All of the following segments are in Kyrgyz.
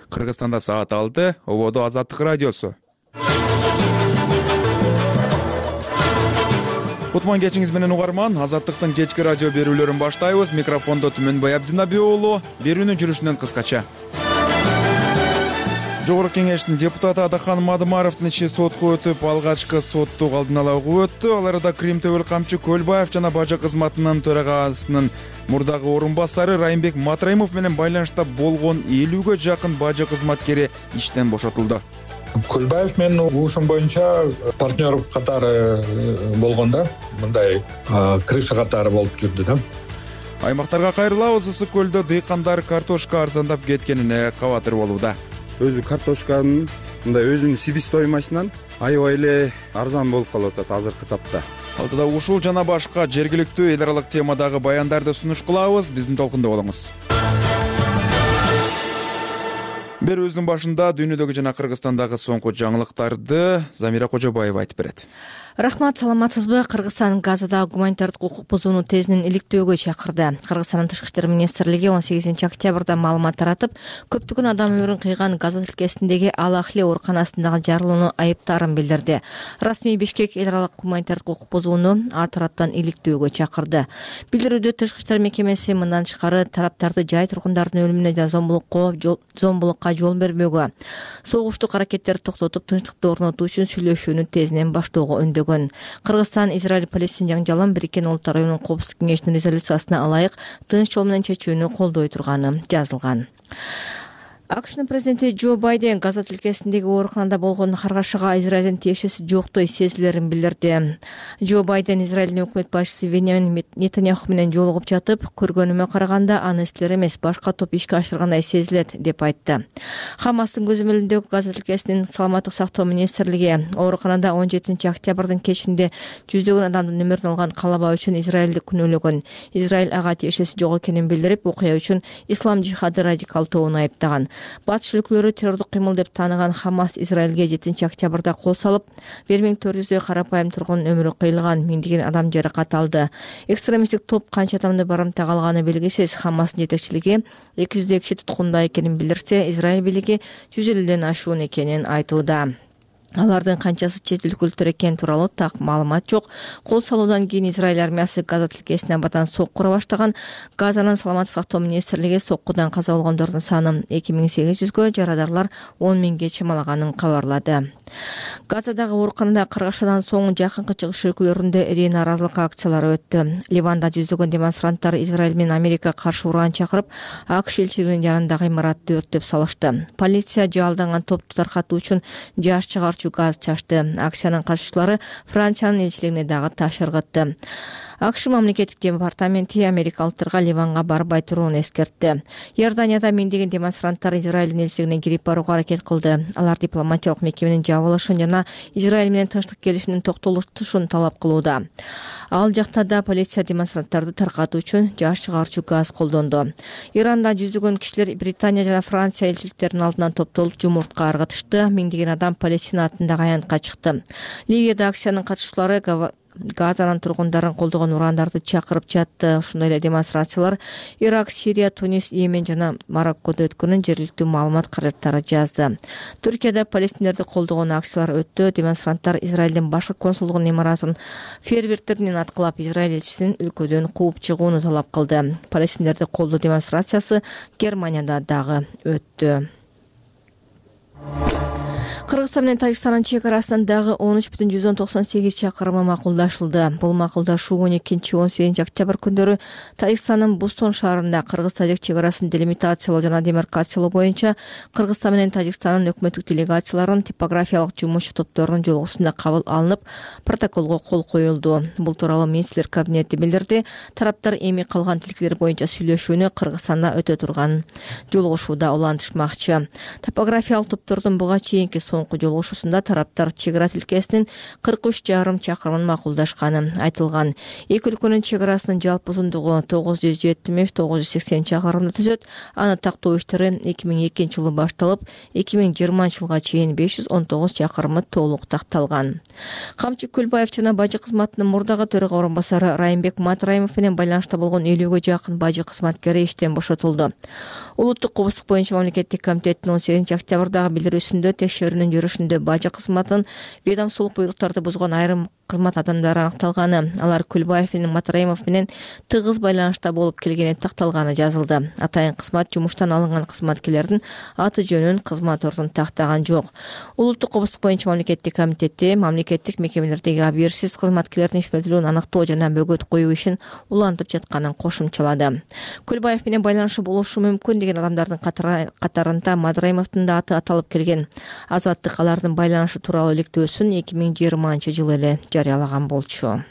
Кыргызстанда саат 6, ободо Азаттык радиосу. Кутман кечиңиз менен угарман, Азаттыктын кечки радио берүүлөрүн баштайбыз. Микрофондо Түмөнбай Абдинабий уулу. Берүүнүн жүрүшүнөн кыскача. Жогорку кеңештин депутаты Адахан Мадымаровдун иши сотко өтүп, алгачкы соттук алдын ала угуп өттү. Аларда Крим Төбөл Камчы Көлбаев жана бажы кызматынын төрагасынын мурдагы орун басары Райымбек Матраимов менен байланышта болгон 50-гө жакын бажы кызматкери иштен бошотулду. Көлбаев менин угушум боюнча партнер катары болгондо, мындай крыша катары болуп жүрдү да. Аймактарга кайрылабыз. Ысык көлдө дыйкандар картошка арзандап кеткенине кабатыр болууда. Өзү картошканын мындай өзүнүн себестоимостунан аябай эле арзан болуп калып атат азыркы тапта. Алдыда ушул жана башка жергиликтүү эл аралык темадагы баяндарды сунуш кылабыз. Биздин толкунда болуңуз. Берүүбүздүн башында дүйнөдөгү жана Кыргызстандагы соңку жаңылыктарды Замира Кожобаева айтып берет. Рахмат, саламатсызбы? Кыргызстан Газада гуманитардык укук бузууну тезинен иликтөөгө чакырды. Кыргызстандын Тышкы иштер министрлиги 18-октябрда маалымат таратып, көптөгөн адам өмүрүн кыйган Газа тилкесиндеги Ал-Ахли ооруканасындагы жарылууну айыптаарын билдирди. Расмий Бишкек эл аралык гуманитардык укук бузууну ар тараптан иликтөөгө чакырды. Билдирүүдө Тышкы иштер мекемеси мындан тышкары тараптарды жай тургундардын өлүмүнө жана зомбулукка жол бербөөгө, согуштук аракеттерди токтотуп, тынчтыкты орнотуу үчүн сүйлөшүүнү тезинен баштоого өндөгөн. Кыргызстан Израиль-Палестин жаңжалын Бириккен Улуттар Уюмунун Коопсуздук кеңешинин резолюциясына ылайык тынч жол менен чечүүнү колдой турганы жазылган. АКШнын президенти Джо Байден Газа тилкесиндеги ооруканада болгон каргашага Израилдин тиешеси жоктой сезилерин билдирди. Джо Байден Израилдин өкмөт башчысы Беньямин Нетаньяху менен жолугуп жатып, көргөнүмө караганда аны силер эмес, башка топ ишке ашыргандай сезилет деп айтты. Хамастын көзөмөлүндөгү Газа тилкесинин саламаттык сактоо министрлиги ооруканада 17-октябрдын кечинде жүздөгөн адамдын өмүрүн алган калаба үчүн Израилди күнөөлөгөн. Израиль ага тиешеси жок экенин билдирип, окуя үчүн ислам жихады радикалдоону айыптаган. Батыш өлкөлөрү террордук кыймыл деп тааныган Хамас Израилге 7-октябрда кол салып, 1400 карапайым тургундун өмүрү кыйылган, миңдеген адам жаракат алды. Экстремисттик топ канча адамды барымтак алганы белгисиз. Хамастын жетекчилиги 200 киши туткунда экенин билдирсе, Израиль бийлиги 150ден ашуун экенин айтууда. Алардын канчасы чет өлкөлүктөр экени тууралуу так маалымат жок. Кол салуудан кийин Израиль армиясы Газа тилкесине абдан сокку ура баштаган. Газанын саламаттык сактоо министрлиги соккудан каза болгондордун санын 2800гө, жарадарлар 10 000ге чамалаганын кабарлады. Газадагы ооруканада каргашадан соң жакынкы чыгыш өлкөлөрүндө ири нааразылык акциялары өттү. Ливанда жүздөгөн демонстранттар Израиль менен Америка каршы ураан чакырып, АКШ элчилигинин жанындагы имаратты өрттөп салышты. Полиция жаалданган топту таркатуу үчүн жаш чыгарчу газ чачты. Акциянын катышчылары Франциянын элчилигине дагы таш ыргытты. АКШ мамлекеттик департаменти америкалыктарга Ливанга барбай турууну эскертти. Иорданияда миңдеген демонстранттар Израилдин элчилигине кирип барууга аракет кылды. Алар дипломатиялык мекеменин жабылышын жана Израиль менен тынчтык келишимдин токтолушун талап кылууда. Ал жакта да полиция демонстранттарды таркатуу үчүн жаш чыгарчу газ колдонду. Иранда жүздөгөн кишилер Британия жана Франция элчиликтеринин алдынан топтолуп жумуртка ыргытышты. Миңдеген адам Палестина атындагы аянтка чыкты. Ливияда акциянын катышчылары Газанын тургундарын колдогон урандарды чакырып жатты. Ушундай эле демонстрациялар Ирак, Сирия, Тунис, Йемен жана Мароккодо өткөнүн жергиликтүү маалымат каражаттары жазды. Түркияда палестиндерди колдогон акциялар өттү. Демонстранттар Израилдин башкы консулдугунун имаратын фейерверктер менен аткылап, Израиль элчисин өлкөдөн кууп чыгууну талап кылды. Палестиндерди колдоо демонстрациясы Германияда дагы өттү. Кыргызстан менен Тажикстандын чек арасынан дагы 13,198 чакырымы макулдашылды. Бул макулдашуу 12-18 күндөрү Тажикстандын Бустон шаарында Кыргыз-Тажик чек арасын делимитациялоо жана демаркациялоо боюнча Кыргызстан менен Тажикстандын өкмөттүк делегацияларынын типографиялык жумушчу топторунун жолугушуусунда кабыл алынып, протоколго кол коюлду. Бул тууралуу министрлер кабинети билдирди. Тараптар эми калган тилкелер боюнча сүйлөшүүнү Кыргызстанда өтө турган жолугушууда улантышмакчы. Топографиялык топтордун буга чейинки соңку жолугушуусунда тараптар чек ара тилкесинин 43,5 чакырымын макулдашканы айтылган. Эки өлкөнүн чек арасынын жалпы узундугу 970-980 чакырымды түзөт. Аны тактоо иштери 2002 жылы башталып, 2020 жылга чейин 519 чакырымы толук такталган. Камчы Көлбаев жана бажы кызматынын мурдагы төрага орун басары Райымбек Матраимов менен байланышта болгон 50ге жакын бажы кызматкери иштен бошотулду. Улуттук кобуздук боюнча мамлекеттик комитеттин 18 октябрдагы билдирүүсүндө текшерүүнүн жүрүшүндө бажы кызматынын ведомстволук буйруктарды бузган айрым кызмат адамдары аныкталганы, алар Көлбаев менен Матраимов менен тыгыз байланышта болуп келгени такталганы жазылды. Атайын кызмат жумуштан алынган кызматкерлердин аты жөнүн, кызмат ордун тактаган жок. Улуттук кобуздук боюнча мамлекеттик комитети мамлекеттик мекемелердеги абийирсиз кызматкерлердин ишмердүүлүгүн аныктоо жана бөгөт коюу ишин улантып жатканын кошумчалады. Көлбаев менен байланышы болушу мүмкүн деген адамдардын катарында Матраимовдун да аты аталып келген. Азаттык алардын байланышы тууралуу иликтөөсүн 2020 жылы эле жарыялаган болчу.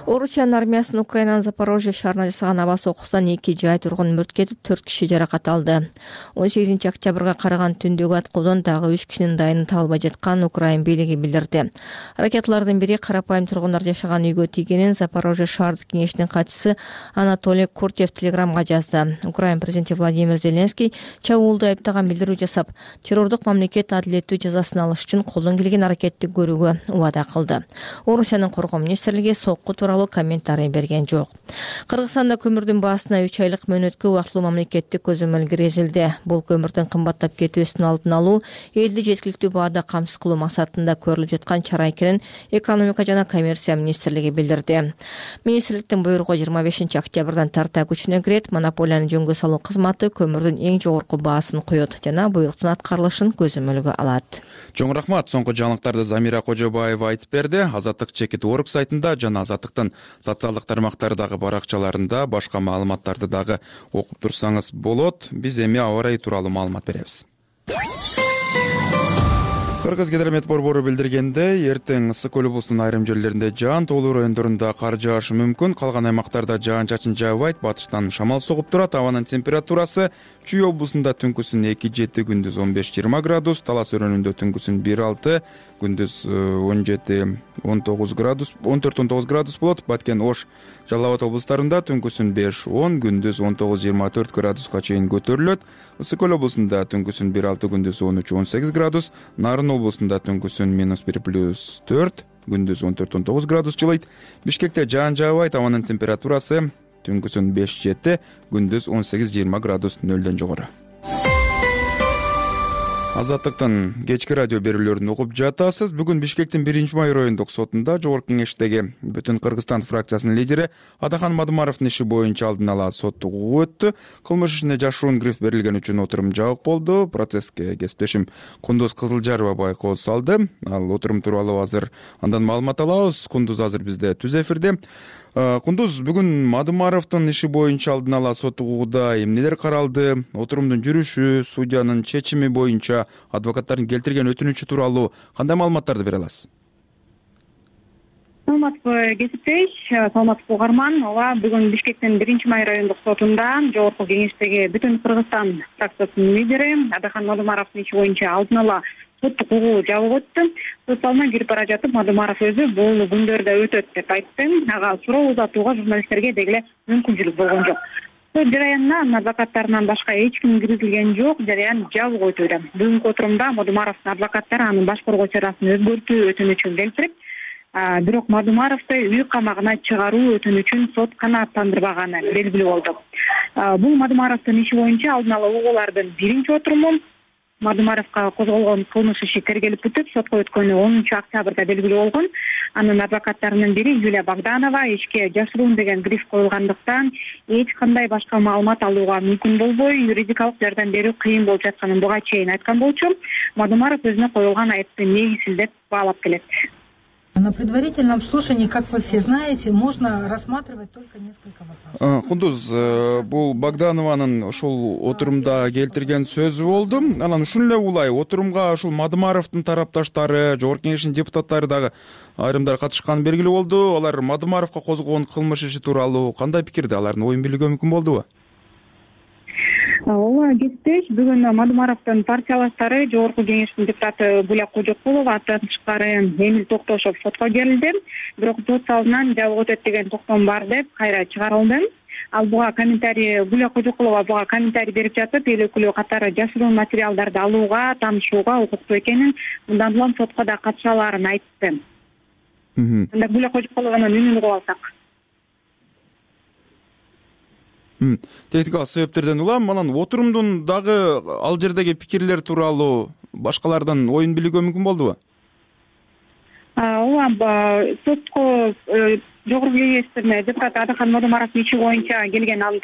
Орусиянын армиясынын Украинанын Запорожье шаарына жасаган аба соккусунан 2 жай тургун мөрт кетип, 4 киши жаракат алды. 18 октябрга караган түндөгү аткылоодон дагы 3 кишинин дайыны табылбай жатканын Украин бийлиги билдирди. Ракеталардын бири карапайым тургундар жашаган үйгө тийгенин Запорожье шаардык кеңешинин катчысы Анатолий Куртьев телеграмга жазды. Украин президенти Владимир Зеленский чабуулду айыптаган билдирүү жасап, террордук мамлекет адилеттүү жазасын алыш үчүн колдон келген аракетти көрүүгө убада кылды. Орусиянын коргоо министрлиги сокку тууралуу комментарий берген жок. Кыргызстанда көмүрдүн баасына 3 айлык мөөнөткө убактылуу мамлекеттик көзөмөл киргизилди. Бул көмүрдүн кымбаттап кетүүсүнүн алдын алуу, элди жеткиликтүү баада камсыз кылуу максатында көрүлүп жаткан чара экенин экономика жана коммерция министрлиги билдирди. Министрликтин буйругу 25 октябрдан тарта күчүнө кирет. Монополияны жөнгө салуу кызматы көмүрдүн эң жогорку баасын коет жана буйруктун аткарылышын көзөмөлгө алат. Чоң рахмат. Соңку жаңылыктарды Замира Кожобаева айтып берди. Азаттык Чекит.org сайтында жана Азаттыктын социалдык тармактардагы баракчаларында башка маалыматтарды дагы окуп турсаңыз болот. Биз эми аба ырайы тууралуу маалымат беребиз. Кыргыз гидромет борбору билдиргендей, эртең Ысык көл облусунун айрым жерлеринде жаан, тоолуу райондорунда кар жаашы мүмкүн. Калган аймактарда жаан-чачын жаабайт, батыштан шамал согуп турат. Абанын температурасы Чүй облусунда түнкүсүн 2-7, күндүз 15-20 градус, Талас өрөөнүндө түнкүсүн 1-6, күндүз 17-19 градус, 14-19 градус болот. Баткен, Ош, Жалал Абад облустарында түнкүсүн 5-10, күндүз 19-24 градуска чейин көтөрүлөт. Ысык көл облусунда түнкүсүн 1-6, күндүз 13-18 градус, Нарын облусунда түнкүсүн -1+4, күндүз 14-19 градус жылыйт. Бишкекте жаан жаабайт, абанын температурасы түнкүсүн 5-7, күндүз 18-20 градус, нөлдөн жогору. Азаттыктын кечки радио берүүлөрүн угуп жатасыз. Бүгүн Бишкектин 1-май райондук сотунда Жогорку кеңештеги Бүтүн Кыргызстан фракциясынын лидери Адахан Мадымаровдун иши боюнча алдын ала соттук угуу өттү. Кылмыш ишине жашыруун гриф берилген үчүн отурум жабык болду. Процесске кесиптешим Кундуз Кызылжарова байкоо салды. Ал отурум тууралуу азыр андан маалымат алабыз. Кундуз азыр бизде түз эфирде. Кундуз, бүгүн Мадымаровдун иши боюнча алдын ала соттук угууда эмнелер каралды? Отурумдун жүрүшү, судьянын чечими боюнча адвокаттардын келтирген өтүнүчү тууралуу кандай маалыматтарды бере аласыз? Саламатсызбы кесиптеш, саламатсызбы угарман. Ооба, бүгүн Бишкектин 1-май райондук сотунда Жогорку кеңештеги Бүтүн Кыргызстан фракциясынын лидери Адахан Мадымаровдун иши боюнча алдын ала соттук угуу жабык өттү. Сот залына кирип бара жатып, Мадымаров өзү бул күндөрдө өтөт деп айтты. Ага суроо узатууга журналисттерге деги мүмкүнчүлүк болгон жок. Сот жараянына анын адвокаттарынан башка эч ким киргизилген жок. Жараян жабык өтүүдө. Бүгүнкү отурумда Мадымаровдун адвокаттары анын баш коргоо чарасын өзгөртүү өтүнүчүн келтирип, бирок Мадымаровду үй камагына чыгаруу өтүнүчүн сот канааттандырбаганы белгилүү болду. Бул Мадымаровдун иши боюнча алдын ала угуулардын биринчи отуруму. Мадымаровго козголгон кылмыш иши тергелип бүтүп, сотко өткөнү 10 октябрда белгилүү болгон. Анын адвокаттарынын бири Юлия Богданова ишке жашыруун деген гриф коюлгандыктан эч кандай башка маалымат алууга мүмкүн болбой, юридикалык жардам берүү кыйын болуп жатканын буга чейин айткан болчу. Мадымаров өзүнө коюлган айыпты негизсиз деп баалап келет. На предварительном слушании, как вы все знаете, можно рассматривать только несколько вопросов. Кундуз, бул Богданованын ошол отурумда келтирген сөзү болду. Анан ушул эле улай отурумга ушул Мадымаровдун тарапташтары, Жогорку кеңештин депутаттары дагы айрымдары катышканы белгилүү болду. Алар Мадымаровго козголгон кылмыш иши тууралуу кандай пикирде? Алардын оюн билүүгө мүмкүн болдубу? ооба кесиптеш, бүгүн Мадумаровдун партиялаштары Жогорку Кеңештин депутаты Буля Кожокулова андан тышкары Эмил Токтошов сотко берилди. Бирок сот залынан жабык өтөт деген токтом бар деп кайра чыгарылды. Ал буга комментарий Буля Кожокулова буга комментарий берип жатып, эл өкүлү катары жашыруун материалдарды алууга, таанышууга укуктуу экенин, мындан улам сотко да катыша алаарын айтты. Анда Буля Кожокулованын үнүн угуп алсак. Техникалык себептерден улам анан отурумдун дагы ал жердеги пикирлер тууралуу башкалардан оюн билүүгө мүмкүн болдубу? Ооба, сотко Жогорку Кеңештин депутаты Адахан Мадумаровдун иши боюнча келген анын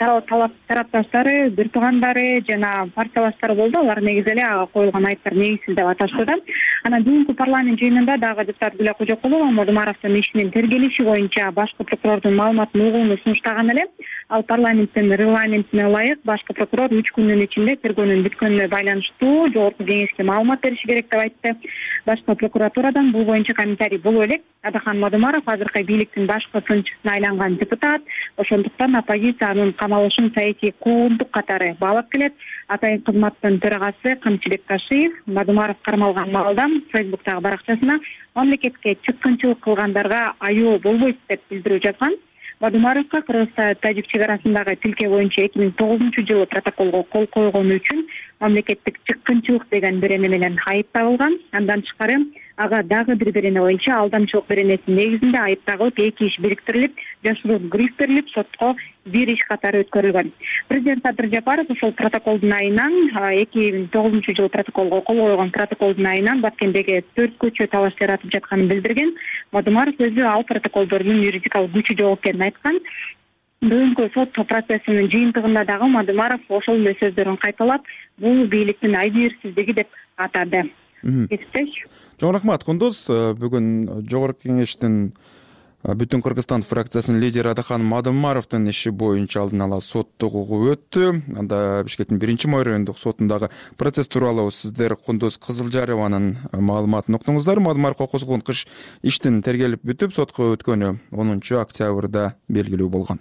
тарапташтары, бир туугандары жана партиялаштары болду. Алар негизи эле ага коюлган айыптар негизсиз деп аташты да. Анан бүгүнкү парламент жыйынында дагы депутат Буля Кожокулова Мадумаровдун ишинин тергелиши боюнча башкы прокурордун маалыматын угууну сунуштаган эле. Ал парламенттин регламентине ылайык башкы прокурор 3 күндүн ичинде тергөөнүн бүткөнүнө байланыштуу Жогорку Кеңешке маалымат бериши керек деп айтты. Башкы прокуратурадан бул боюнча комментарий боло элек. Адахан Мадумаров азыркы бийликтин башкы сынчысына айланган депутат, ошондуктан оппозиция анын камалышын саясий куугунтук катары баалап келет. Атайын кызматтын төрагасы Камчыбек Ташиев Мадумаров кармалган маалда Фейсбуктагы баракчасына мамлекетке чыккынчылык кылгандарга аюу болбойт деп билдирүү жазган. Мадумаровго Кыргызстан-Тажик чек арасындагы тилке боюнча 2009-жылы протоколго кол койгону үчүн мамлекеттик чыккынчылык деген берене менен айып тагылган. Андан тышкары ага дагы бир берене боюнча алдамчылык беренесинин негизинде айып тагылып, 2 иш бириктирилип, жашыруун гриф берилип, сотко 1 иш катары өткөрүлгөн. Президент Садыр Жапаров ошол протоколдун айынан 2009-жылы протоколго кол койгон протоколдун айынан Баткендеги 4 көчө талаш жаратып жатканын билдирген. Мадумаров өзү ал протоколдордун юридикалык күчү жок экенин айткан. Бүгүнкү сот процессинин жыйынтыгында дагы Мадумаров ошол эле сөздөрүн кайталап, бул бийликтин айбирсиздиги деп атады. Чоң рахмат, Кундуз. Бүгүн Жогорку Кеңештин Бүтүн Кыргызстан фракциясынын лидери Адахан Мадумаровдун иши боюнча алдын ала соттук угуу өттү. Анда Бишкектин 1-май райондук сотундагы процесс тууралуу сиздер Кундуз Кызылжарованын маалыматын уктуңуздар. Мадумаровго козголгон иштин тергелип бүтүп, сотко өткөнү 10 октябрда белгилүү болгон.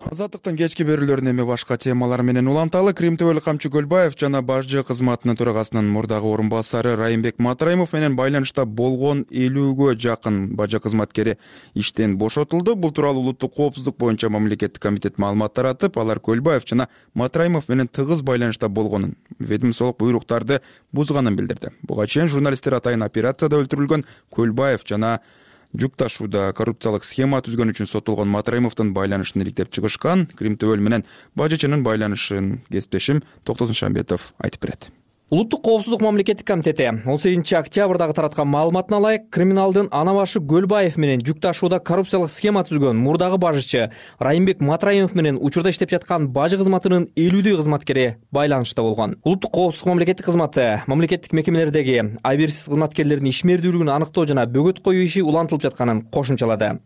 Азаттыктын кечки берүүлөрүн эми башка темалар менен уланталы. Крим ТВлик Камчы Көлбаев жана бажы кызматынын төрагасынын мурдагы орун басары Райымбек Матраимов менен байланышта болгон 50гө жакын бажы кызматкери иштен бошотулду. Бул тууралуу улуттук коопсуздук боюнча мамлекеттик комитет маалымат таратып, алар Көлбаев жана Матраимов менен тыгыз байланышта болгонун, ведомстволук буйруктарды бузганын билдирди. Буга чейин журналисттер атайын операцияда өлтүрүлгөн Көлбаев жана жүк ташууда коррупциялык схема түзгөн үчүн соттолгон Матраимовдун байланышын иликтеп чыгышкан. Крим ТВ менен бажычынын байланышын кесиптешим Токтосун Шамбетов айтып берет. Улуттук коопсуздук мамлекеттик комитети 18 октябрдагы тараткан маалыматына ылайык криминалдын ана башы Көлбаев менен жүк ташууда коррупциялык схема түзгөн мурдагы бажычы Райымбек Матраимов менен учурда иштеп жаткан бажы кызматынын 50 кызматкери байланышта болгон. Улуттук коопсуздук мамлекеттик кызматы мамлекеттик мекемелердеги айбирсиз кызматкерлердин ишмердүүлүгүн аныктоо жана бөгөт коюу иши улантылып жатканын кошумчалады.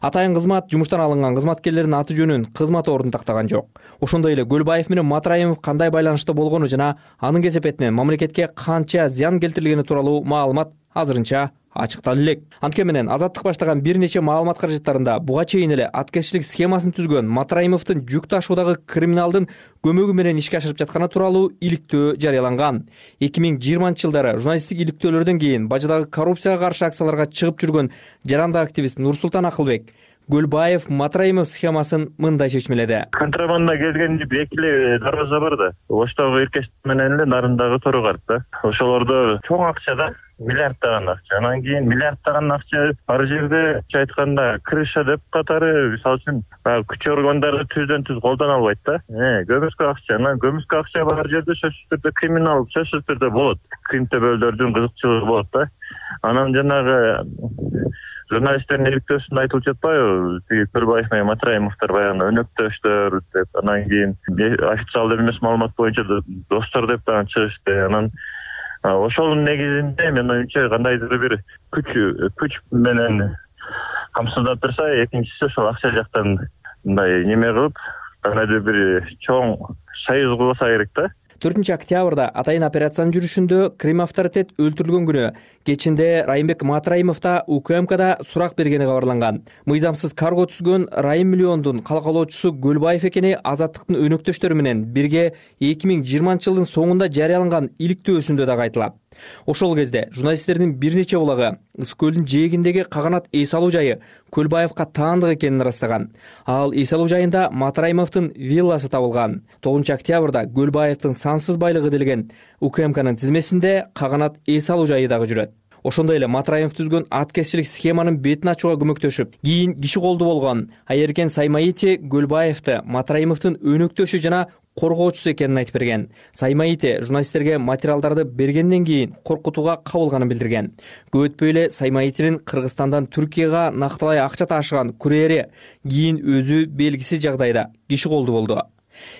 Атайын кызмат жумуштан алынган кызматкерлердин аты жөнүн, кызмат ордун тактаган жок. Ошондой эле Көлбаев менен Матраимов кандай байланышта болгону жана анын кесепетинен мамлекетке канча зыян келтирилгени тууралуу маалымат азырынча ачыктала элек. Анткени менен Азаттык баштаган бир нече маалымат каражаттарында буга чейин эле аткезчилик схемасын түзгөн Матраимовдун жүк ташуудагы криминалдын көмөгү менен ишке ашырып жатканы тууралуу иликтөө жарыяланган. 2020-жылдары журналисттик иликтөөлөрдөн кийин бажыдагы коррупцияга каршы акцияларга чыгып жүргөн жарандык активист Нурсултан Акылбек Көлбаев Матраимов схемасын мындай чечмеледи. Контрабанда келген эки эле дарбаза бар да. Оштогу Иркеш менен эле Нарындагы Торогар да. Ошолордо чоң акча да, миллиарддаган акча. Анан кийин миллиарддаган акча ар жерде айтканда крыша деп катары, мисалы үчүн күч органдары түздөн түз колдоно албайт да. Көмүскө акча, анан көмүскө акча бар жерде сөзсүз түрдө криминал, сөзсүз түрдө болот. Крим ТВлөрдүн кызыкчылыгы болот да. Анан жанагы журналисттердин иликтөөсүндө айтылып жатпайбы? Көлбаев менен Матраимовдор баягы өнөктөштөр деп, анан кийин официалдуу эмес маалымат боюнча достор деп дагы чыгышты. Анан ошонун негизинде мен оюмча кандайдыр бир күч менен камсыздап турса, экинчиси ошол акча жактан мындай неме кылып, кандайдыр бир чоң союз кылса керек да. 4 октябрда атайын операциянын жүрүшүндө Крим авторитет өлтүрүлгөн күнү кечинде Райымбек Матраимов да УКМКда сурак бергени кабарланган. Мыйзамсыз карго түзгөн Райым Миллиондун калкалоочусу Көлбаев экени Азаттыктын өнөктөштөрү менен бирге 2020-жылдын соңунда жарыяланган иликтөөсүндө дагы айтылат. Ошол кезде журналисттердин бир нече булагы Ысык көлдүн жээгиндеги каганат эс алуу жайы Көлбаевка таандык экенин ырастаган. Ал эс алуу жайында Матраимовдун вилласы табылган. 9 октябрда Көлбаевдин сансыз байлыгы делген УКМКнын тизмесинде каганат эс алуу жайы дагы жүрөт. Ошондой эле Матраимов түзгөн аткезчилик схеманын бетин ачууга көмөктөшүп, кийин киши колду болгон Айеркен Саймаити Көлбаевди Матраимовдун өнөктөшү жана коргоочусу экенин айтып берген. Саймаити журналисттерге материалдарды бергенден кийин коркутууга кабылганын билдирген. Көп өтпөй эле Саймаитинин Кыргызстандан Түркияга накталай акча ташыган курьери кийин өзү белгисиз жагдайда киши колду болду.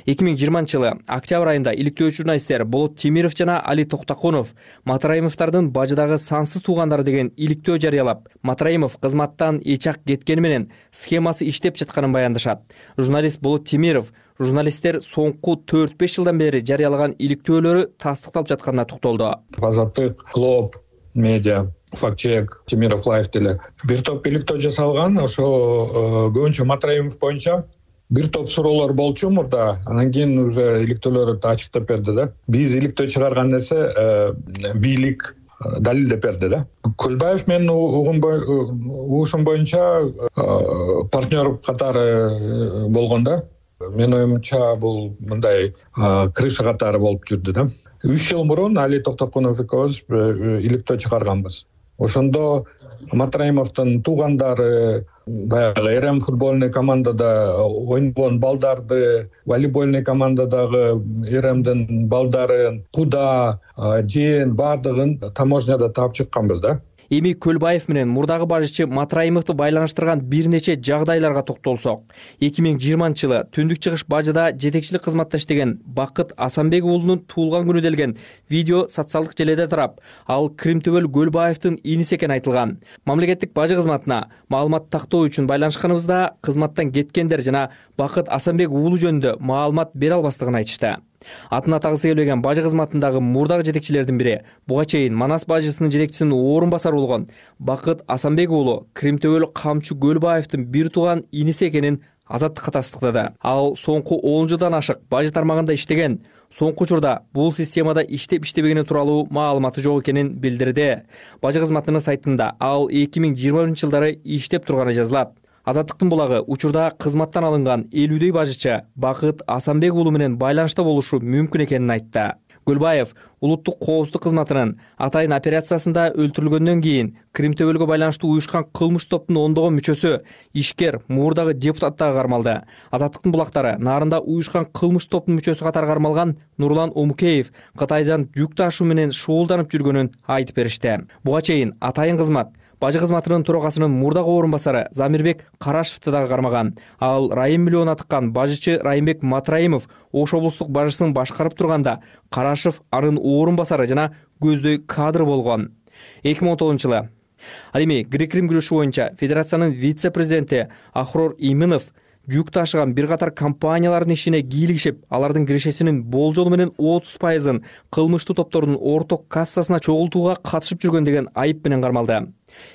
2020-жылы октябрь айында иликтөөчү журналисттер Болот Темиров жана Али Токтокунов Матраимовдардын бажыдагы сансыз туугандары деген иликтөө жарыялап, Матраимов кызматтан эчак кеткени менен схемасы иштеп жатканын баяндашат. Журналист Болот Темиров журналисттер соңку 4-5 жылдан бери жарыялаган иликтөөлөрү тастыкталып жатканына токтолду. Азаттык, Глоб, Медиа, Фактчек, Темиров Лайф деле бир топ иликтөө жасалган. Ошо көбүнчө Матраимов боюнча бир топ суроолор болчу мурда, анан кийин уже иликтөөлөрдү ачыктап берди да. Биз иликтөө чыгарган нерсе бийлик далилдеп берди да. Көлбаев менин угушум боюнча партнер катары болгон да. Менин оюмча бул мындай крыша катары болуп жүрдү да. 3 жыл мурун Али Токтокунов экөөбүз иликтөө чыгарганбыз. Ошондо Матраимовдун туугандары баягы РМ футбольный командада ойногон балдарды, волейбольный командадагы РМдин балдарын, куда, жээн баардыгын таможняда таап чыкканбыз да. Эми Көлбаев менен мурдагы бажычы Матраимовду байланыштырган бир нече жагдайларга токтолсок, 2020-жылы Түндүк Чыгыш бажыда жетекчилик кызматта иштеген Бакыт Асанбек уулунун туулган күнү делген видео социалдык желеде тарап, ал Кримтөбөл Көлбаевдин иниси экени айтылган. Мамлекеттик бажы кызматына маалымат тактоо үчүн байланышканыбызда кызматтан кеткендер жана Бакыт Асанбек уулу жөнүндө маалымат бере албастыгын айтышты. Атын атагысы келбеген бажы кызматындагы мурдагы жетекчилердин бири буга чейин Манас бажысынын жетекчисинин орун басары болгон Бакыт Асанбек уулу Кримтөбөл Камчы Көлбаевдин бир тууган иниси экенин Азаттыкка тастыктады. Ал соңку 10 жылдан ашык бажы тармагында иштеген, соңку учурда бул системада иштеп-иштебегени тууралуу маалыматы жок экенин билдирди. Бажы кызматынын сайтында ал 2020-жылдары иштеп турганы жазылат. Азаттыктын булагы учурда кызматтан алынган 50дөй бажычы Бакыт Асанбек уулу менен байланышта болушу мүмкүн экенин айтты. Көлбаев улуттук коопсуздук кызматынын атайын операциясында өлтүрүлгөндөн кийин Кримтөбөлгө байланыштуу уюшкан кылмыш топтун ондогон мүчөсү, ишкер, мурдагы депутат дагы кармалды. Азаттыктын булактары нарында уюшкан кылмыш топтун мүчөсү катары кармалган Нурлан Омукеев Кытайдан жүк ташуу менен шуулданып жүргөнүн айтып беришти. Буга чейин атайын кызмат бажы кызматынын төрагасынын мурдагы орун басары Замирбек Карашевди дагы кармаган. Ал Райым Миллион атыккан бажычы Райымбек Матраимов Ош облустук бажысын башкарып турганда Карашев анын орун басары жана көздөй кадр болгон. 2019-жылы ал эми грек-рим күрөшү боюнча федерациянын вице-президенти Ахрор Иминов жүк ташыган бир катар компаниялардын ишине кийлигишип, алардын кирешесинин болжолу менен 30%-ын кылмыштуу топтордун орток кассасына чогултууга катышып жүргөн деген айып менен кармалды.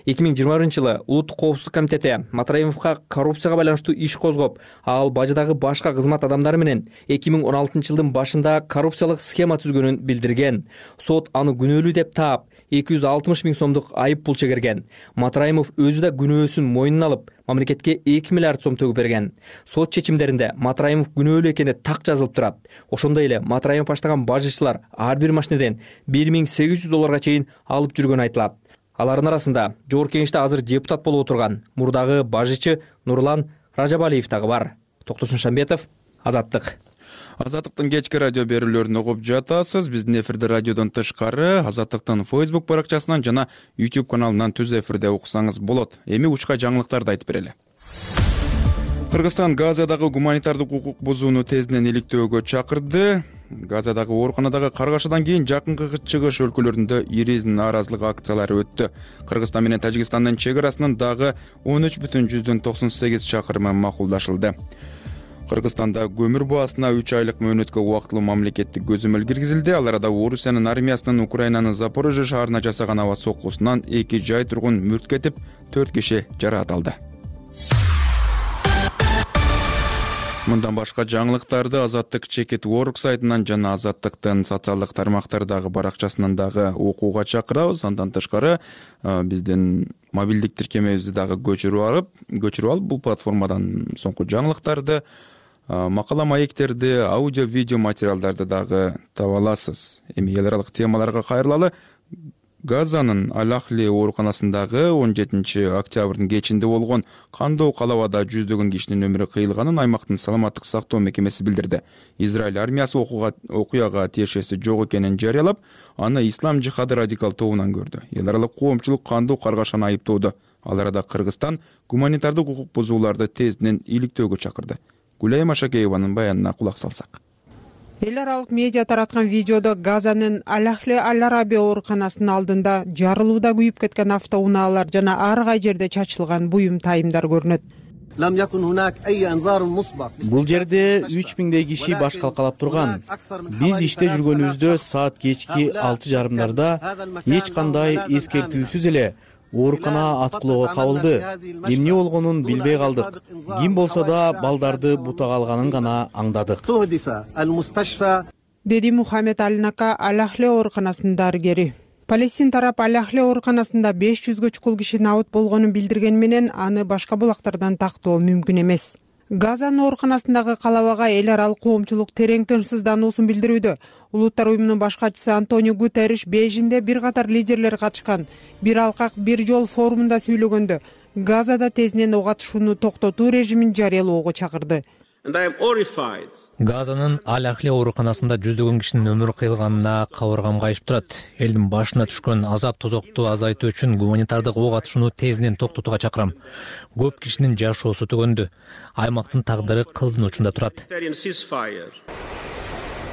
2021-жылы Улуттук коопсуздук комитети Матраимовго коррупцияга байланыштуу иш козгоп, ал бажыдагы башка кызмат адамдары менен 2016-жылдын башында коррупциялык схема түзгөнүн билдирген. Сот аны күнөөлүү деп таап, 260 000 сомдук айып пул чегерген. Матраимов өзү да күнөөсүн мойнуна алып, мамлекетке 2 миллиард сом төгүп берген. Сот чечимдеринде Матраимов күнөөлүү экени так жазылып турат. Ошондой эле Матраимов баштаган бажычылар ар бир машинеден $1800 чейин алып жүргөнү айтылат. Алардын арасында Жогорку Кеңеште азыр депутат болуп отурган мурдагы бажычы Нурлан Ражабалиев дагы бар. Токтосун Шамбетов, Азаттык. Азаттыктын кечки радио берүүлөрүн угуп жатасыз. Биздин эфирде радиодон тышкары Азаттыктын Facebook баракчасынан жана YouTube каналынан түз эфирде уксаңыз болот. Эми учка жаңылыктарды айтып берели. Кыргызстан Газадагы гуманитардык укук бузууну тезден иликтөөгө чакырды. Газадагы ооруканадагы каргашадан кийин жакынкы чыгыш өлкөлөрүндө ири нааразылык акциялары өттү. Кыргызстан менен Тажикстандын чек арасынын дагы 13,98 чакырымы макулдашылды. Кыргызстанда көмүр баасына 3 айлык мөөнөткө убактылуу мамлекеттик көзөмөл киргизилди. Ал арада Орусиянын армиясынын Украинанын Запорожье шаарына жасаган аба соккусунан 2 жай тургун мүрт кетип, 4 киши жаракат алды. Мындан башка жаңылыктарды Азаттык Чекит.org сайтынан жана Азаттыктын социалдык тармактардагы баракчасынан дагы окууга чакырабыз. Андан тышкары биздин мобилдик тиркемебизди дагы көчүрүп алып, бул платформадан соңку жаңылыктарды, макала маектерди, аудио видео материалдарды дагы таба аласыз. Эми эл аралык темаларга кайрылалы. Газанын Алахли ооруканасындагы 17 октябрдын кечинде болгон кандоо калабада жүздөгөн кишинин өмүрү кыйылганын аймактын саламаттык сактоо мекемеси билдирди. Израиль армиясы окуяга тиешеси жок экенин жарыялап, аны ислам жихады радикал тобунан көрдү. Эл аралык коомчулук кандуу каргашаны айыптоодо. Ал арада Кыргызстан гуманитардык укук бузууларды тездинен иликтөөгө чакырды. Гүлай Машакееванын баянына кулак салсак. Эл аралык медиа тараткан видеодо Газанын Алахли Аль-Араби ооруканасынын алдында жарылууда күйүп кеткен автоунаалар жана ар кай жерде чачылган буюм тайымдар көрүнөт. Бул жерде 3000 киши баш калкалап турган. Биз иште жүргөнүбүздө саат кечки 6:30 эч кандай эскертүүсүз эле оорукана аткылоого кабылды. Эмне болгонун билбей калдык. Ким болсо да балдарды бутага алганын гана аңдадык, деди Мухаммед Аль-Нака, Алахли ооруканасынын дарыгери. Палестин тарап Алахли ооруканасында 500гө чукул киши набыт болгонун билдирген менен аны башка булактардан тактоо мүмкүн эмес. Газанын ооруканасындагы калабага эл аралык коомчулук терең тынчсыздануусун билдирүүдө. Улуттар уюмунун баш катчысы Антонио Гутерриш Бейжиңде бир катар лидерлер катышкан бир алкак бир жол форумунда сүйлөгөндө Газада тездинен ок атышууну токтотуу режимин жарыялоого чакырды. Газанын Аль-Ахли ооруканасында жүздөгөн кишинин өмүрү кыйылганына кабыргам кайышып турат. Элдин башына түшкөн азап тозокту азайтуу үчүн гуманитардык ок атышууну тездинен токтотууга чакырам. Көп кишинин жашоосу төгөндү. Аймактын тагдыры кылдын учунда турат.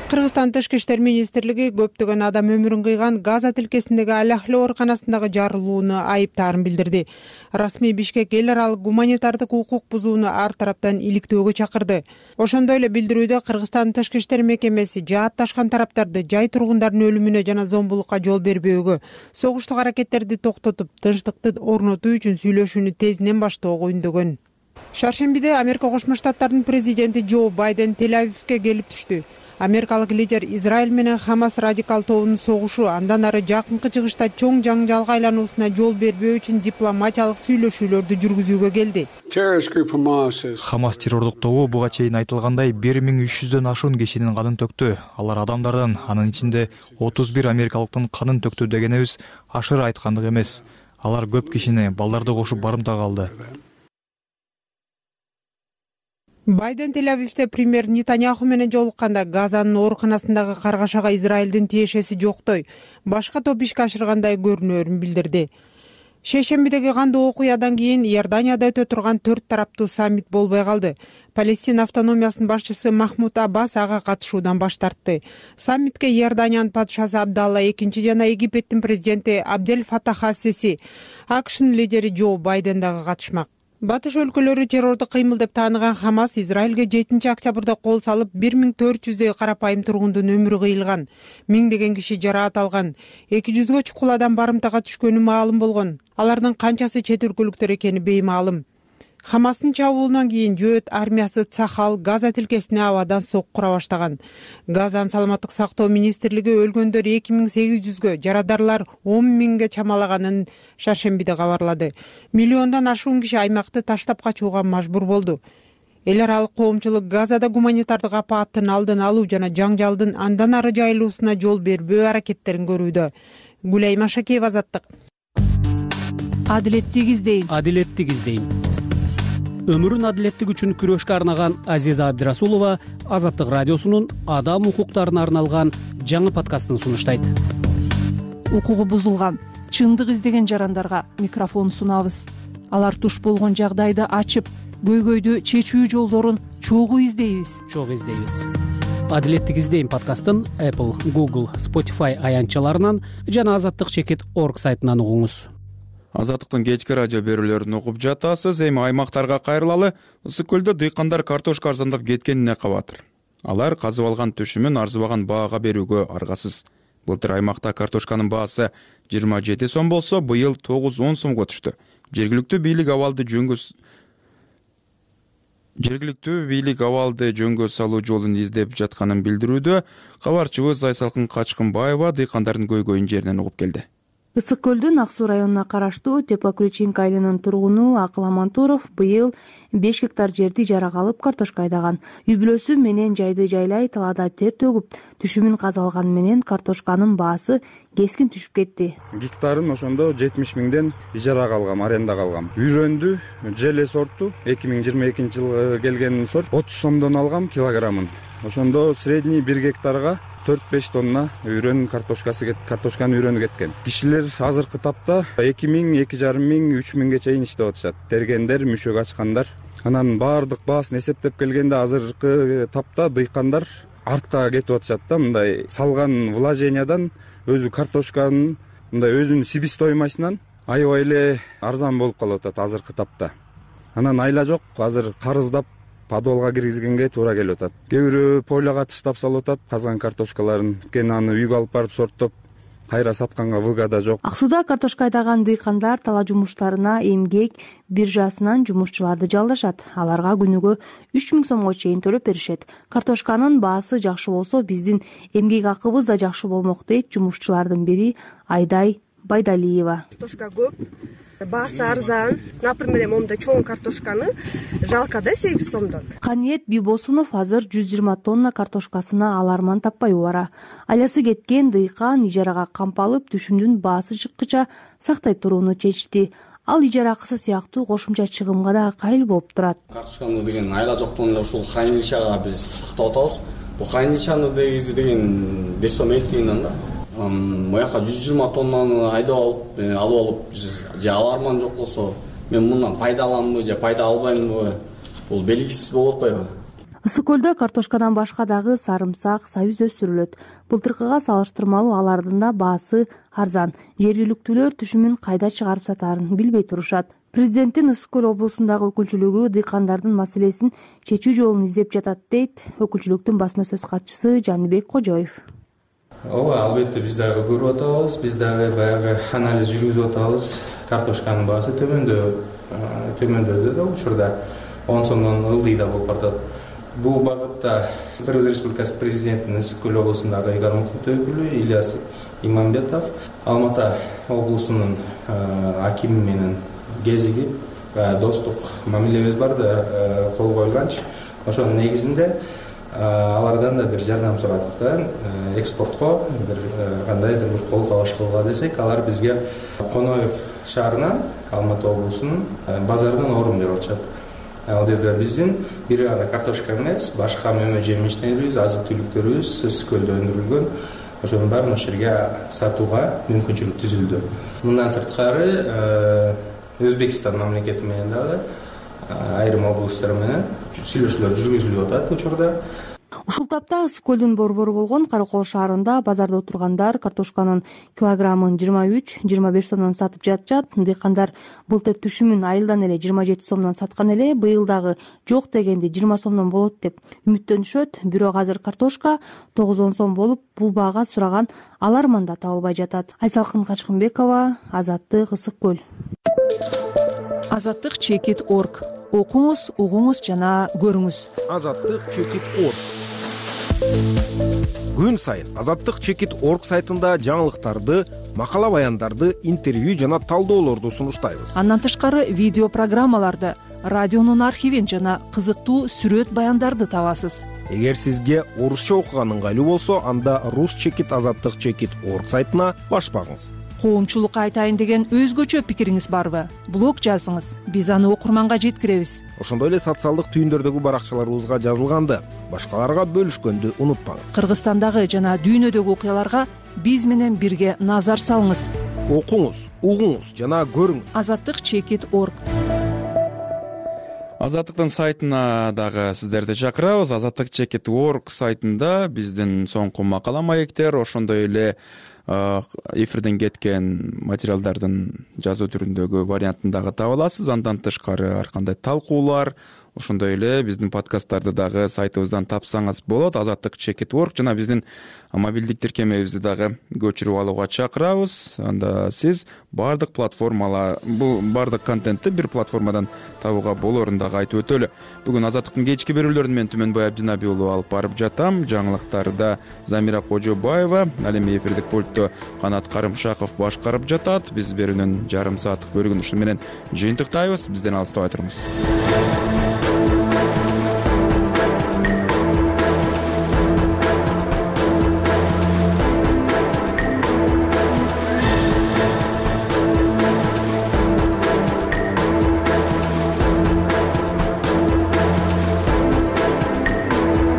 Кыргызстан Тышкы иштер министрлиги көптөгөн адам өмүрүн кыйган Газа тилкесиндеги Аль-Ахли ооруканасындагы жарылууну айыптаарын билдирди. Расмий Бишкек эл аралык гуманитардык укук бузууну ар тараптан иликтөөгө чакырды. Ошондой эле билдирүүдө Кыргызстан Тышкы иштер мекемеси жаатташкан тараптарды жай тургундардын өлүмүнө жана зомбулукка жол бербөөгө, согуштук аракеттерди токтотуп, тынчтыкты орнотуу үчүн сүйлөшүүнү тездинен баштоого үндөгөн. Шаршембиде Америка Кошмо Штаттарынын президенти Джо Байден Тель-Авивге келип түштү. Америкалык лидер Израиль менен Хамас радикал тобунун согушу андан ары жакынкы чыгышта чоң жаңжалга айлануусуна жол бербөө үчүн дипломатиялык сүйлөшүүлөрдү жүргүзүүгө келди. Хамас террордук тобу буга чейин айтылгандай 1300дөн ашуун кишинин канын төктү. Алар адамдардын, анын ичинде 31 америкалыктын канын төктү дегенебиз ашыра айткандык эмес. Алар көп кишини, балдарды кошуп барымтага алды. Байден Тель-Авивде премьер Нетаньяху менен жолукканда Газанын ооруканасындагы каргашага Израилдин тиешеси жоктой, башка топ ишке ашыргандай көрүнөөрүн билдирди. Шейшембидеги кандуу окуядан кийин Иорданияда өтө турган 4 тараптуу саммит болбой калды. Палестин автономиясынын башчысы Махмуд Аббас ага катышуудан баш тартты. Саммитке Иорданиянын падышасы Абдалла II жана Египеттин президенти Абдель Фатах ас-Сиси, АКШнын лидери Джо Байден дагы катышмак. Батыш өлкөлөрү террордук кыймыл деп тааныган Хамас Израилге 7 октябрда кол салып 1400дөй карапайым тургундун өмүрү кыйылган, миңдеген киши жараат алган, 200гө чукул адам барымтага түшкөнү маалым болгон. Алардын канчасы чет өлкөлүктөр экени беймаалым. Хамастын чабуулунан кийин Жөөт армиясы Цахал Газа тилкесине абадан соккура баштаган. Газанын саламаттык сактоо министрлиги өлгөндөр 2800гө, жарадарлар 10.000ге чамалаганын шаршембиде кабарлады. Миллиондон ашуун киши аймакты таштап качууга мажбур болду. Эл аралык коомчулук Газада гуманитардык апааттын алдын алуу жана жаңжалдын андан ары жайылуусуна жол бербөө аракеттерин көрүүдө. Гүлай Машакеева, Азаттык. Адилеттик издейм. Өмүрүн адилеттик үчүн күрөшкө арнаган Азиза Абдирасулова Азаттык радиосунун адам укуктарына арналган жаңы подкастын сунуштайт. Укугу бузулган, чындык издеген жарандарга микрофон сунабыз. Алар туш болгон жагдайды ачып, көйгөйдү чечүү жолдорун чогуу издейбиз. Адилеттик издейм подкастын Apple, Google, Spotify аянтчаларынан жана Азаттык Чекит.org сайтынан угуңуз. Азаттыктын кечки радио берүүлөрүн угуп жатасыз. Эми аймактарга кайрылалы. Ысык көлдө дыйкандар картошка арзандап кеткенине кабатыр. Алар казып алган түшүмүн арзыбаган баага берүүгө аргасыз. Былтыр аймакта картошканын баасы 27 сом болсо, быйыл 9-10 сомго түштү. Жергиликтүү бийлик абалды жөнгө салуу жолун издеп жатканын билдирүүдө. Кабарчыбыз Айсалкын Качкынбаева дыйкандардын көйгөйүн жеринен угуп келди. Ысык көлдүн Ак суу районуна караштуу Теплоключинка айылынын тургуну Акыл Амантуров быйыл 5 гектар жерди ижарага алып картошка айдаган. Үй бүлөсү менен жайды жайлай талаада тер төгүп, түшүмүн каза алганы менен картошканын баасы кескин түшүп кетти. Гектарын ошондо 70 миңден ижарага алгам, арендага алгам. Үйрөндү, желе сорту, 2022 жылы келген сорт 30 сомдон алгам килограммын. Ошондо средний 1 гектарга 4-5 тонна үйрөн картошканын үйрөнү кеткен. Кишилер азыркы тапта 2 миң, 2,5 миң, 3 миңге чейин иштеп атышат. Тергендер, мүшөк ачкандар. Анан баардык баасын эсептеп келгенде азыркы тапта дыйкандар артка кетип атышат да, мындай салган вложениядан өзү картошканын мындай өзүнүн себестоимостунан аябай эле арзан болуп калып атат азыркы тапта. Анан айла жок, азыр карыздап подвалга киргизгенге туура келип атат. Кээ бирөө поляга таштап салып атат казган картошкаларын. Кен аны үйгө алып барып сорттоп кайра сатканга выгода жок. Ак сууда картошка айдаган дыйкандар талаа жумуштарына эмгек биржасынан жумушчуларды жалдашат. Аларга күнүгө 3000 сомго чейин төлөп беришет. Картошканын баасы жакшы болсо, биздин эмгек акыбыз да жакшы болмок дейт жумушчулардын бири Айдай Байдалиева. Картошка көп, баасы арзан. Например, момундай чоң картошканы жалко да 8 сомдон. Каниет Бибосунов азыр 120 тонна картошкасына аларман таппай убара. Айласы кеткен дыйкан ижарага камп алып, түшүмдүн баасы чыккыча сактай турууну чечти. Ал ижара акысы сыяктуу кошумча чыгымга да кайыл болуп турат. Картошканы деген айла жоктон эле ушул хранилищага биз сактап атабыз. Бул хранилищаны деген 5 сом 50 тыйындан да. Мояка 120 тоннаны алып алып, же аларман жок болсо, мен мындан пайда аламбы же пайда албаймынбы, бул белгисиз болуп атпайбы? Ысык көлдө картошкадан башка дагы сарымсак, сабиз өстүрүлөт. Былтыркыга салыштырмалуу алардын да баасы арзан. Жергиликтүүлөр түшүмүн кайда чыгарып сатаарын билбей турушат. Президенттин Ысык көл облусундагы өкүлчүлүгү дыйкандардын маселесин чечүү жолун издеп жатат дейт өкүлчүлүктүн басма сөз катчысы Жаныбек Кожоев. Ооба, албетте биз дагы көрүп атабыз, биз дагы баягы анализ жүргүзүп атабыз. Картошканын баасы төмөндөдү да учурда 10 сомдон ылдый да болуп атат. Бул багытта Кыргыз Республикасы президентинин Ысык көл облусундагы ыйгарым укуктуу өкүлү Ильяс Имамбетов Алмата облусунун акими менен кезигип, достук мамилебиз бар да кол коюлганчы. Ошонун негизинде алардан да бир жардам сурадык да, экспортко бир кандайдыр бир кол кабаш кылгыла десек, алар бизге Коноев шаарынан Алматы облусунун базардан орун берип атышат. Ал жерде биздин бир гана картошка эмес, башка мөмө жемиштерибиз, азык түлүктөрүбүз Ысык көлдө өндүрүлгөн. Ошонун баарын ошол жерге сатууга мүмкүнчүлүк түзүлдү. Мындан сырткары Өзбекстан мамлекети менен дагы айрым облусттар менен сүйлөшүүлөр жүргүзүлүп атат учурда. Ушул тапта Ысык көлдүн борбору болгон Каракол шаарында базарда отургандар картошканын килограммын 23-25 сомдон сатып жатышат. Дыйкандар былтыр түшүмүн айылдан эле 27 сомдон саткан эле, быйыл дагы жок дегенде 20 сомдон болот деп үмүттөнүшөт. Бирок азыр картошка 9-10 сом болуп, бул баага сураган аларман да табылбай жатат. Айсалкын Качкынбекова, Азаттык, Ысык көл. Азаттык чекит.org. Окуңуз, угуңуз жана көрүңүз. Азаттык чекит.org. Күн сайын Азаттык чекит.org сайтында жаңылыктарды, макала баяндарды, интервью жана талдоолорду сунуштайбыз. Андан тышкары видео программаларды, радионун архивин жана кызыктуу сүрөт баяндарды табасыз. Эгер сизге орусча окуган ыңгайлуу болсо, анда рус чекит Азаттык чекит.org сайтына баш багыңыз. Коомчулукка айтайын деген өзгөчө пикириңиз барбы? Блог жазыңыз, биз аны окурманга жеткиребиз. Ошондой эле социалдык түйүндөрдөгү баракчаларыбызга жазылганды, башкаларга бөлүшкөндү унутпаңыз. Кыргызстандагы жана дүйнөдөгү окуяларга биз менен бирге назар салыңыз. Окуңуз, угуңуз жана көрүңүз. Азаттык чекит.org. Азаттыктын сайтына дагы сиздерди чакырабыз. Азаттык чекит.org сайтында биздин соңку макала маектер, ошондой эле эфирден кеткен материалдардын жазуу түрүндөгү вариантын дагы таба аласыз. Андан тышкары ар кандай талкуулар, ошондой эле биздин подкасттарды дагы сайтыбыздан тапсаңыз болот. Azatlyk.org жана биздин мобилдик тиркемебизди дагы көчүрүп алууга чакырабыз. Анда сиз бардык бардык контентти бир платформадан табууга болорун дагы айтып өтөлү. Бүгүн Азаттыктын кечки берүүлөрүн мен Түмөнбай Абдинаби уулу алып барып жатам. Жаңылыктарда Замира Кожобаева, ал эми эфирдик пультту Канат Карымшаков башкарып жатат. Биз берүүнүн жарым сааттык бөлүгүн ушу менен жыйынтыктайбыз. Бизден алыстабай туруңуз.